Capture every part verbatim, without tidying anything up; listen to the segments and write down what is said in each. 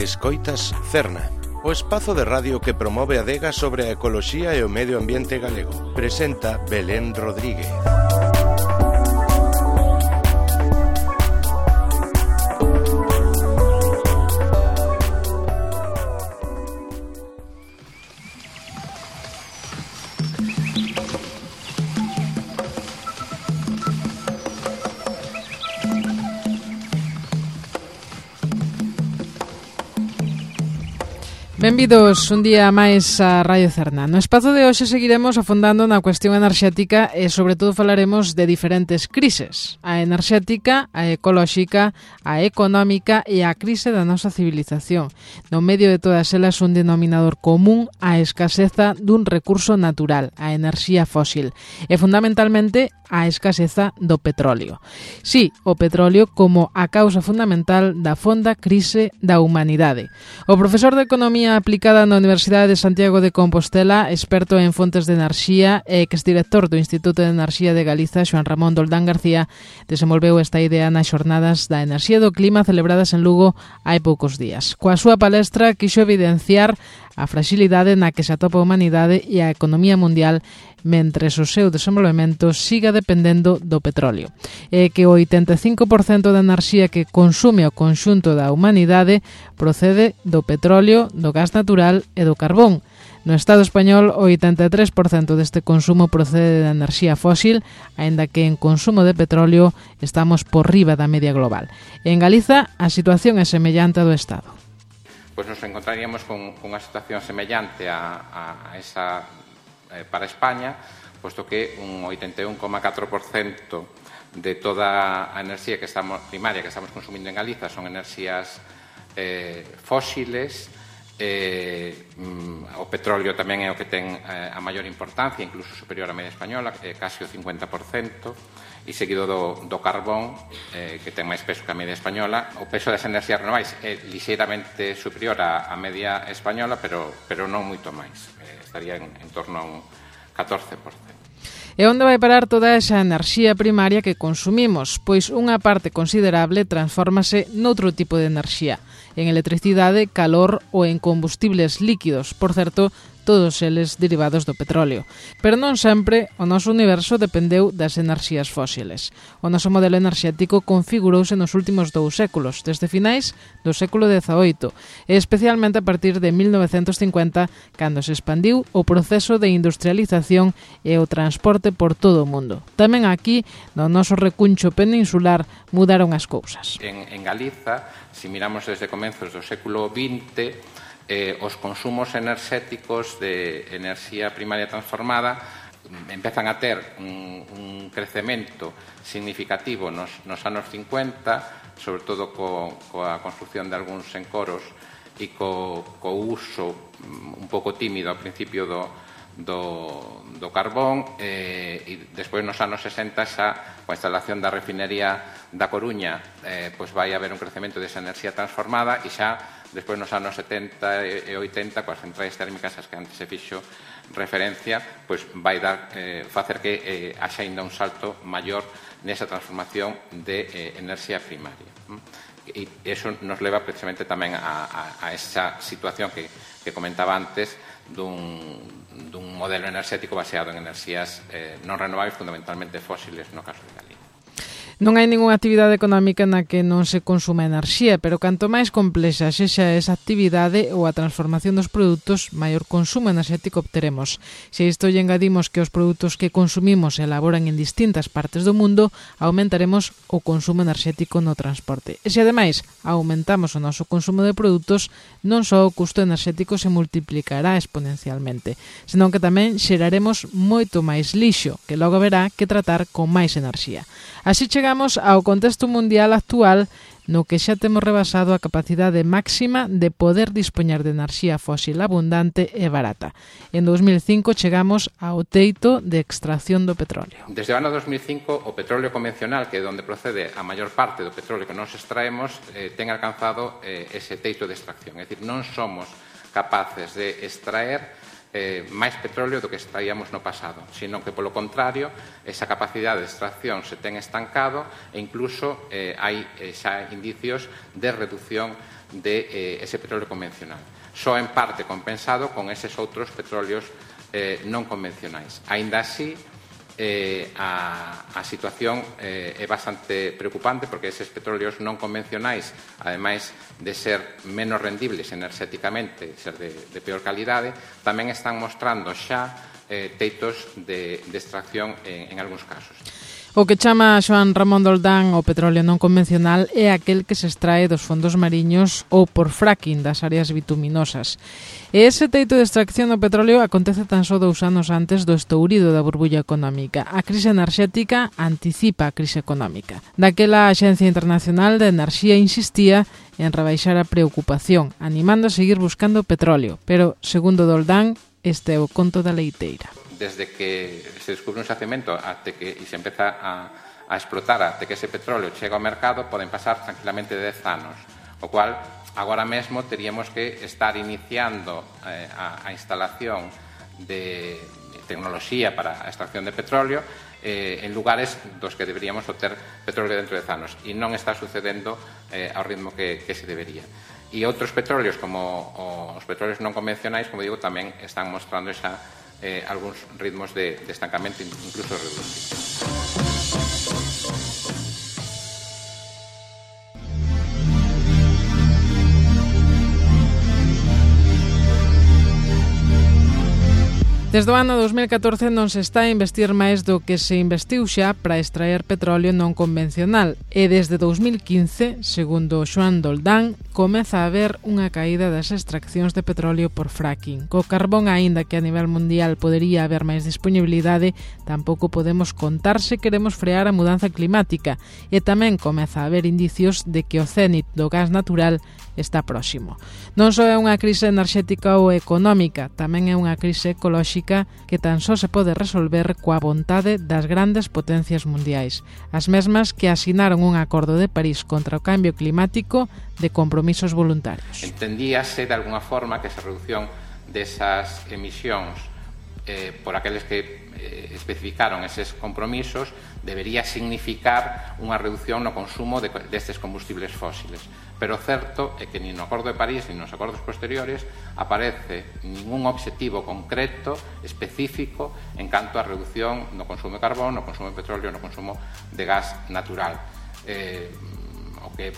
Escoitas Cerna, o espazo de radio que promove a adega sobre a ecoloxía e o medio ambiente galego. Presenta Belén Rodríguez. Benvidos un día máis a Radio Cerna. No espazo de hoxe seguiremos afondando na cuestión enerxética e sobre todo falaremos de diferentes crises. A enerxética, a ecolóxica, a económica e a crise da nosa civilización. No medio de todas elas un denominador común a escaseza dun recurso natural, a enerxía fósil. E fundamentalmente a escaseza do petróleo. Sí, o petróleo como a causa fundamental da fonda crise da humanidade. O profesor de Economía aplicada na Universidade de Santiago de Compostela, experto en fontes de enerxía e exdirector do Instituto de Enerxía de Galiza, Xoán Ramón Doldán García, desenvolveu esta idea nas xornadas da enerxía e do clima celebradas en Lugo hai poucos días. Coa súa palestra quixo evidenciar a fragilidade na que se atopa a humanidade e a economía mundial mentres o seu desenvolvemento siga dependendo do petróleo. E que o oitenta e cinco por cento da enerxía que consume o conxunto da humanidade procede do petróleo, do gas natural e do carbón. No Estado español, o oitenta e tres por cento deste consumo procede da enerxía fósil, aínda que en consumo de petróleo estamos por riba da media global. En Galiza, a situación é semellante a do Estado. Pois nos encontraríamos con unha situación semellante a, a esa eh, para España, posto que un oitenta e un coma catro por cento de toda a enerxía que estamos, primaria que estamos consumindo en Galiza son enerxías eh, fósiles. Eh, mm, o petróleo tamén é o que ten eh, a maior importancia, incluso superior á media española, eh, casi o cincuenta por cento, e seguido do, do carbón, eh, que ten máis peso que a media española. O peso das enerxías renováis é lixeiramente superior á, á media española, pero, pero non moito máis. Eh, estaría en, en torno a un catorce por cento. E onde vai parar toda esa enerxía primaria que consumimos? Pois unha parte considerable transfórmase noutro tipo de enerxía, en electricidade, calor ou en combustibles líquidos, por certo, todos eles derivados do petróleo. Pero non sempre o noso universo dependeu das enerxías fósiles. O noso modelo enerxético configurouse nos últimos dous séculos, desde finais do século dezaoito, e especialmente a partir de mil novecentos cincuenta, cando se expandiu o proceso de industrialización e o transporte por todo o mundo. Tamén aquí, no noso recuncho peninsular, mudaron as cousas. En, en Galiza, se miramos desde comenzos do século vinte, Eh, os consumos enerxéticos de enerxía primaria transformada empezan a ter un, un crecemento significativo nos, nos anos cincuenta, sobre todo co, coa construcción de algúns encoros e co, co uso un pouco tímido ao principio do, do, do carbón, eh, e despois nos anos sesenta xa coa instalación da refinería da Coruña eh, pois vai haber un crecemento desa enerxía transformada, e xa despois nos anos setenta e oitenta, coas centrais térmicas as que antes se fixo referencia, pois vai dar, eh, facer que eh, haxa ainda un salto maior nesa transformación de eh, enerxía primaria. E iso nos leva precisamente tamén a, a, a esa situación que, que comentaba antes dun, dun modelo enerxético baseado en enerxías eh, non renovables, fundamentalmente fósiles no caso de Galicia. Non hai ningunha actividade económica na que non se consuma enerxía, pero canto máis complexa sexa esa actividade ou a transformación dos produtos, maior consumo enerxético obteremos. Se isto lle engadimos que os produtos que consumimos se elaboran en distintas partes do mundo, aumentaremos o consumo enerxético no transporte. E se ademais aumentamos o noso consumo de produtos, non só o custo enerxético se multiplicará exponencialmente, senón que tamén xeraremos moito máis lixo, que logo haberá que tratar con máis enerxía. Así chegamos ao contexto mundial actual no que xa temos rebasado a capacidade máxima de poder dispoñer de enerxía fósil abundante e barata. En dos mil cinco chegamos ao teito de extracción do petróleo. Desde o ano dos mil cinco, o petróleo convencional, que é onde procede a maior parte do petróleo que nos extraemos, eh, ten alcanzado eh, ese teito de extracción. É dicir, non somos capaces de extraer eh, máis petróleo do que extraíamos no pasado, sino que, polo contrario, esa capacidade de extracción se ten estancado e incluso eh, hai eh, xa indicios de reducción de eh, ese petróleo convencional. Só en parte compensado con eses outros petróleos eh, non convencionais. Aínda así, Eh, a, a situación eh, é bastante preocupante porque eses petróleos non convencionais, ademais de ser menos rendibles enerxéticamente, ser de, de peor calidade, tamén están mostrando xa eh, teitos de, de extracción en, en algúns casos. O que chama Xoán Ramón Doldán o petróleo non convencional é aquel que se extrae dos fondos mariños ou por fracking das áreas bituminosas. E ese teito de extracción do petróleo acontece tan só dous anos antes do estourido da burbulla económica. A crise enerxética anticipa a crise económica. Daquela a Axencia Internacional de Enerxía insistía en rebaixar a preocupación, animando a seguir buscando petróleo. Pero, segundo Doldán, este é o conto da leiteira. Desde que se descubre un xacemento até que e se empeza a, a explotar até que ese petróleo chega ao mercado poden pasar tranquilamente dez anos, o cual agora mesmo teríamos que estar iniciando eh, a, a instalación de tecnoloxía para a extracción de petróleo eh, en lugares dos que deberíamos obter petróleo dentro de dez anos e non está sucedendo eh, ao ritmo que, que se debería. E outros petróleos como os petróleos non convencionais, como digo, tamén están mostrando esa Eh, algúns ritmos de, de estancamento, incluso reducidos. Desde o ano dos mil catorce non se está a investir máis do que se investiu xa para extraer petróleo non convencional e desde dous mil quince, segundo Xoán Doldán, comeza a haber unha caída das extraccións de petróleo por fracking. Co carbón, aínda que a nivel mundial podería haber máis disponibilidade, tampouco podemos contar se queremos frear a mudanza climática e tamén comeza a haber indicios de que o cénit do gas natural está próximo. Non só é unha crise enerxética ou económica, tamén é unha crise ecolóxica que tan só se pode resolver coa vontade das grandes potencias mundiais, as mesmas que asinaron un acordo de París contra o cambio climático de compromisos voluntarios. Entendíase de alguna forma que esa reducción desas emisións eh, por aqueles que eh, especificaron eses compromisos debería significar unha reducción no consumo de, destes combustibles fósiles. Pero o certo é que nin no Acordo de París nin nos acordos posteriores aparece ningún obxectivo concreto, específico, en canto á reducción no consumo de carbón, no consumo de petróleo, no consumo de gas natural. Eh, o que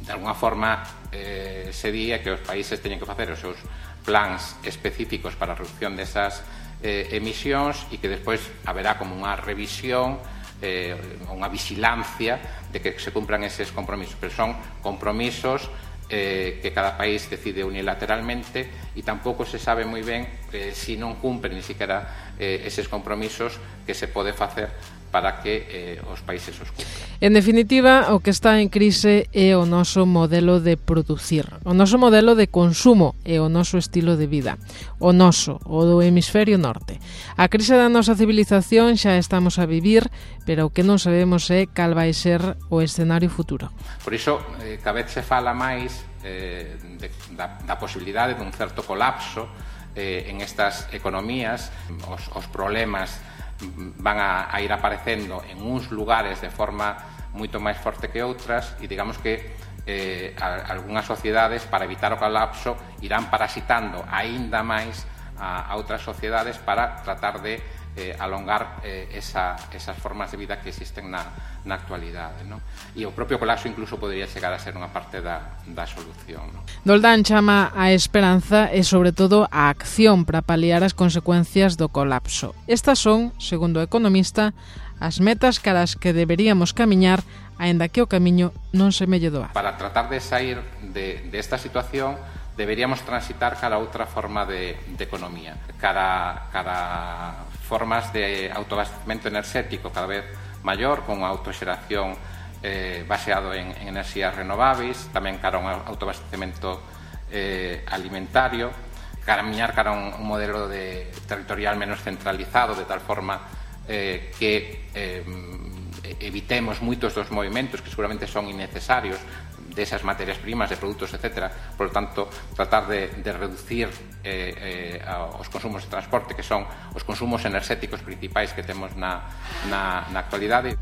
de alguna forma eh, se di é que os países teñen que facer os seus plans específicos para a reducción desas eh, emisións e que despois haberá como unha revisión, eh, unha vigilancia de que se cumpran eses compromisos, pero son compromisos eh, que cada país decide unilateralmente e tampouco se sabe moi ben eh, se non cumpren ni siquiera eh, eses compromisos que se pode facer para que eh, os países os cumpran. En definitiva, o que está en crise é o noso modelo de producir, o noso modelo de consumo e o noso estilo de vida, o noso, o do hemisferio norte. A crise da nosa civilización xa estamos a vivir, pero o que non sabemos é cal vai ser o escenario futuro. Por iso, eh, cada vez se fala máis eh, de, da, da posibilidade dun certo colapso eh, en estas economías, os, os problemas van a, a ir aparecendo en uns lugares de forma moito máis forte que outras e digamos que eh, a, algunhas sociedades para evitar o colapso irán parasitando aínda máis a, a outras sociedades para tratar de eh, alongar eh, esa, esas formas de vida que existen na, na actualidade, ¿no? E o propio colapso incluso podría chegar a ser unha parte da, da solución, ¿no? Doldán chama a esperanza e sobre todo a acción para paliar as consecuencias do colapso. Estas son, segundo o economista, as metas caras que deberíamos camiñar aínda que o camiño non se melle doado. Para tratar de sair de, de esta situación deberíamos transitar cara a outra forma de, de economía, cara, cara formas de autoabastecemento enerxético cada vez maior, con autoxeración eh, baseado en, en enerxías renováveis, tamén cara a un autoabastecemento eh, alimentario, camiñar cara a un, un modelo de territorial menos centralizado, de tal forma eh, que eh, evitemos moitos dos movimentos que seguramente son innecesarios desas materias primas, de produtos, etcétera. Por lo tanto, tratar de, de reducir eh, eh, os consumos de transporte, que son os consumos enerxéticos principais que temos na, na, na actualidade.